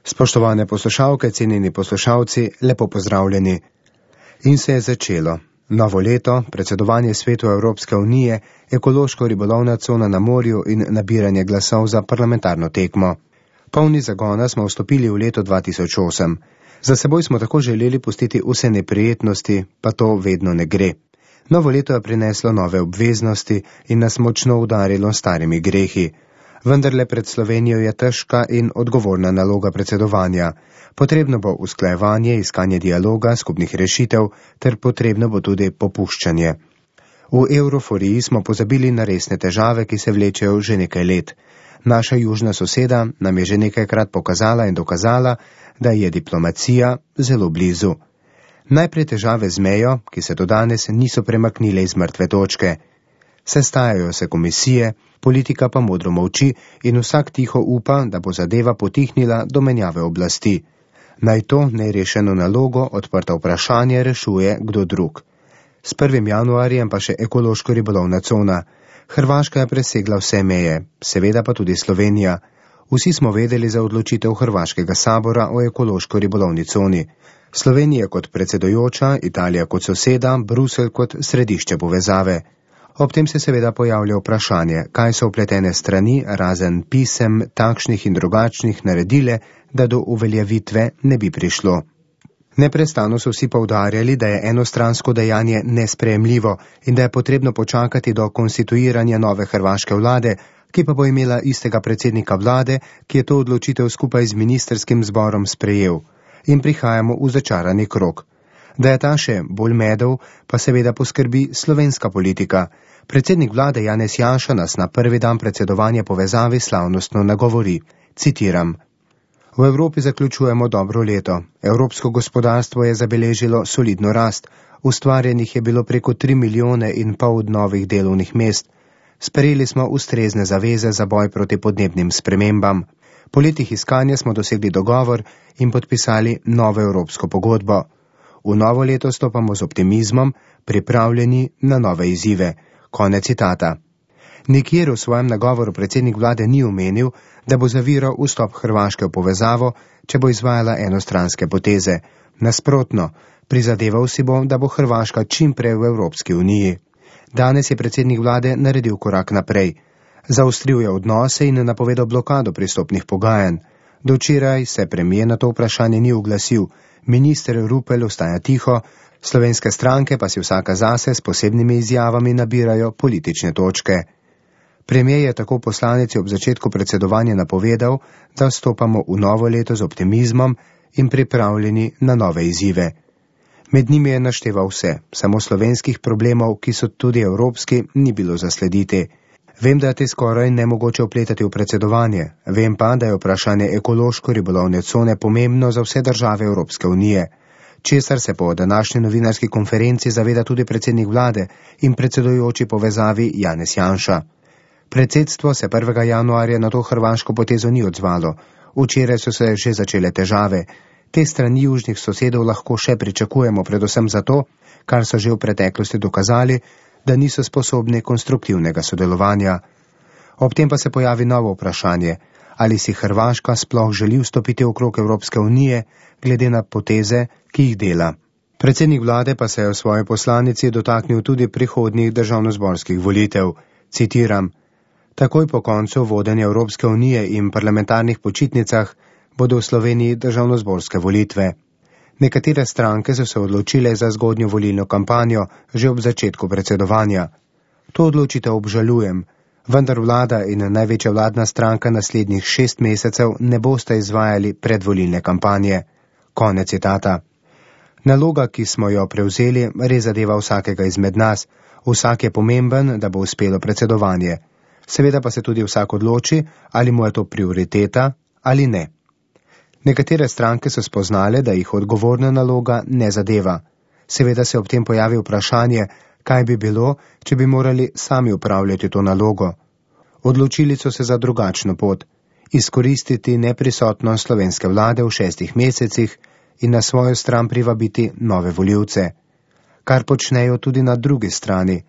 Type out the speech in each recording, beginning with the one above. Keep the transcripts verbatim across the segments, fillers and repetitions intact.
Spoštovane poslušalke, cenjeni poslušalci, lepo pozdravljeni. In se je začelo. Novo leto, predsedovanje svetu Evropske unije, ekološko-ribolovna cona na morju in nabiranje glasov za parlamentarno tekmo. Polni zagona smo vstopili v leto dva tisoč osem. Za seboj smo tako želeli pustiti vse neprijetnosti, pa to vedno ne gre. Novo leto je prineslo nove obveznosti in nas močno udarilo starimi grehi. Vendarle pred Slovenijo je težka in odgovorna naloga predsedovanja. Potrebno bo usklajevanje, iskanje dialoga, skupnih rešitev, ter potrebno bo tudi popuščanje. V evroforiji smo pozabili na resne težave, ki se vlečejo že nekaj let. Naša južna soseda nam je že nekajkrat pokazala in dokazala, da je diplomacija zelo blizu. Najprej težave z mejo, ki se do danes niso premaknile iz mrtve točke. Sestajajo se komisije, politika pa modro molči in vsak tiho upa, da bo zadeva potihnila do menjave oblasti. Naj to nerešeno nalogo, odprta vprašanje, rešuje kdo drug. S prvim januarjem pa še ekološko-ribolovna cona. Hrvaška je presegla vse meje, seveda pa tudi Slovenija. Vsi smo vedeli za odločitev Hrvaškega sabora o ekološko-ribolovni coni. Slovenija kot predsedujoča, Italija kot soseda, Bruselj kot središče povezave. Ob tem se seveda pojavlja vprašanje, kaj so vpletene strani, razen pisem, takšnih in drugačnih naredile, da do uveljavitve ne bi prišlo. Neprestano so vsi poudarjali, da je enostransko dejanje nesprejemljivo in da je potrebno počakati do konstituiranja nove hrvaške vlade, ki pa bo imela istega predsednika vlade, ki je to odločitev skupaj z ministerskim zborom sprejel. In prihajamo v začarani krog. Da je ta še bolj medel, pa seveda poskrbi slovenska politika. Predsednik vlade Janez Janša nas na prvi dan predsedovanja povezavi slavnostno nagovori. Citiram. V Evropi zaključujemo dobro leto. Evropsko gospodarstvo je zabeležilo solidno rast. Ustvarjenih je bilo preko tri milijone in pol novih delovnih mest. Sprejeli smo ustrezne zaveze za boj proti podnebnim spremembam. Po letih iskanja smo dosegli dogovor in podpisali novo evropsko pogodbo. V novo leto stopamo z optimizmom, pripravljeni na nove izzive. Konec citata. Nikjer v svojem nagovoru predsednik vlade ni omenil, da bo zaviral vstop Hrvaške v povezavo, če bo izvajala enostranske poteze. Nasprotno, prizadeval si bo, da bo Hrvaška čim prej v Evropski uniji. Danes je predsednik vlade naredil korak naprej. Zaostril je odnose in napovedal blokado pristopnih pogajanj. Do včeraj se premijer na to vprašanje ni oglasil. Minister Rupel ostaja tiho, slovenske stranke pa si vsaka zase s posebnimi izjavami nabirajo politične točke. Premijer je tako poslanici ob začetku predsedovanja napovedal, da vstopamo v novo leto z optimizmom in pripravljeni na nove izzive. Med njimi je našteval vse, samo slovenskih problemov, ki so tudi evropski, ni bilo zaslediti. Vem, da je te skoraj nemogoče vpletati v predsedovanje. Vem pa, da je vprašanje ekološko-ribolovne cone pomembno za vse države Evropske unije. Česar se po današnji novinarski konferenci zaveda tudi predsednik vlade in predsedujoči povezavi Janez Janša. Predsedstvo se prvega januarja na to hrvaško potezo ni odzvalo. Včeraj so se že začele težave. Te strani južnih sosedov lahko še pričakujemo predvsem zato, kar so že v preteklosti dokazali, da niso sposobni konstruktivnega sodelovanja. Ob tem pa se pojavi novo vprašanje, ali si Hrvaška sploh želi vstopiti v krog Evropske unije, glede na poteze, ki jih dela. Predsednik vlade pa se je v svoji poslanici dotaknil tudi prihodnjih državnozborskih volitev. Citiram. Takoj po koncu vodenja Evropske unije in parlamentarnih počitnicah bodo v Sloveniji državnozborske volitve. Nekatere stranke so se odločile za zgodnjo volilno kampanjo že ob začetku predsedovanja. To odločitev obžalujem, vendar vlada in največja vladna stranka naslednjih šest mesecev ne boste izvajali predvolilne kampanje. Konec citata. Naloga, ki smo jo prevzeli, res zadeva vsakega izmed nas. Vsak je pomemben, da bo uspelo predsedovanje. Seveda pa se tudi vsak odloči, ali mu je to prioriteta ali ne. Nekatere stranke so spoznale, da jih odgovorna naloga ne zadeva. Seveda se ob tem pojavi vprašanje, kaj bi bilo, če bi morali sami upravljati to nalogo. Odločili so se za drugačno pot, izkoristiti neprisotnost slovenske vlade v šestih mesecih in na svojo stran privabiti nove volivce. Kar počnejo tudi na drugi strani.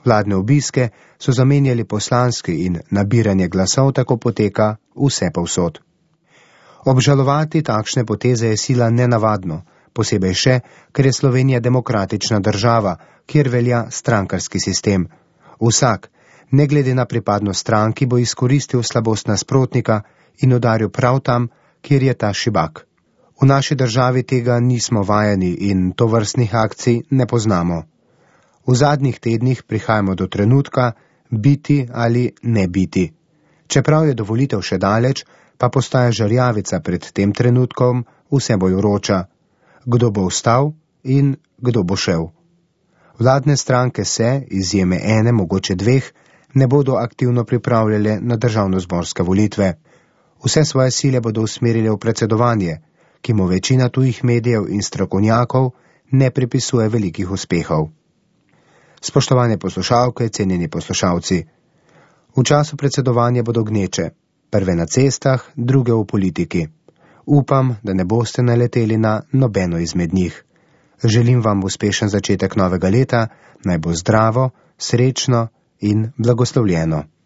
Vladne obiske so zamenjali poslanski in nabiranje glasov tako poteka vse povsod. Obžalovati takšne poteze je sila nenavadno, posebej še, ker je Slovenija demokratična država, kjer velja strankarski sistem. Vsak, ne glede na pripadnost stranki, bo izkoristil slabost nasprotnika in udaril prav tam, kjer je ta šibak. V naši državi tega nismo vajeni in tovrstnih akcij ne poznamo. V zadnjih tednih prihajamo do trenutka biti ali ne biti. Čeprav je do volitev še daleč, pa postaja žarjavica pred tem trenutkom vse bolj vroča. Kdo bo vstal in kdo bo šel. Vladne stranke se, izjeme ene, mogoče dveh, ne bodo aktivno pripravljale na državnozborske volitve. Vse svoje sile bodo usmerile v predsedovanje, ki mu večina tujih medijev in strokovnjakov ne pripisuje velikih uspehov. Spoštovane poslušalke, cenjeni poslušalci, v času predsedovanja bodo gneče, prve na cestah, druge v politiki. Upam, da ne boste naleteli na nobeno izmed njih. Želim vam uspešen začetek novega leta, naj bo zdravo, srečno in blagoslovljeno.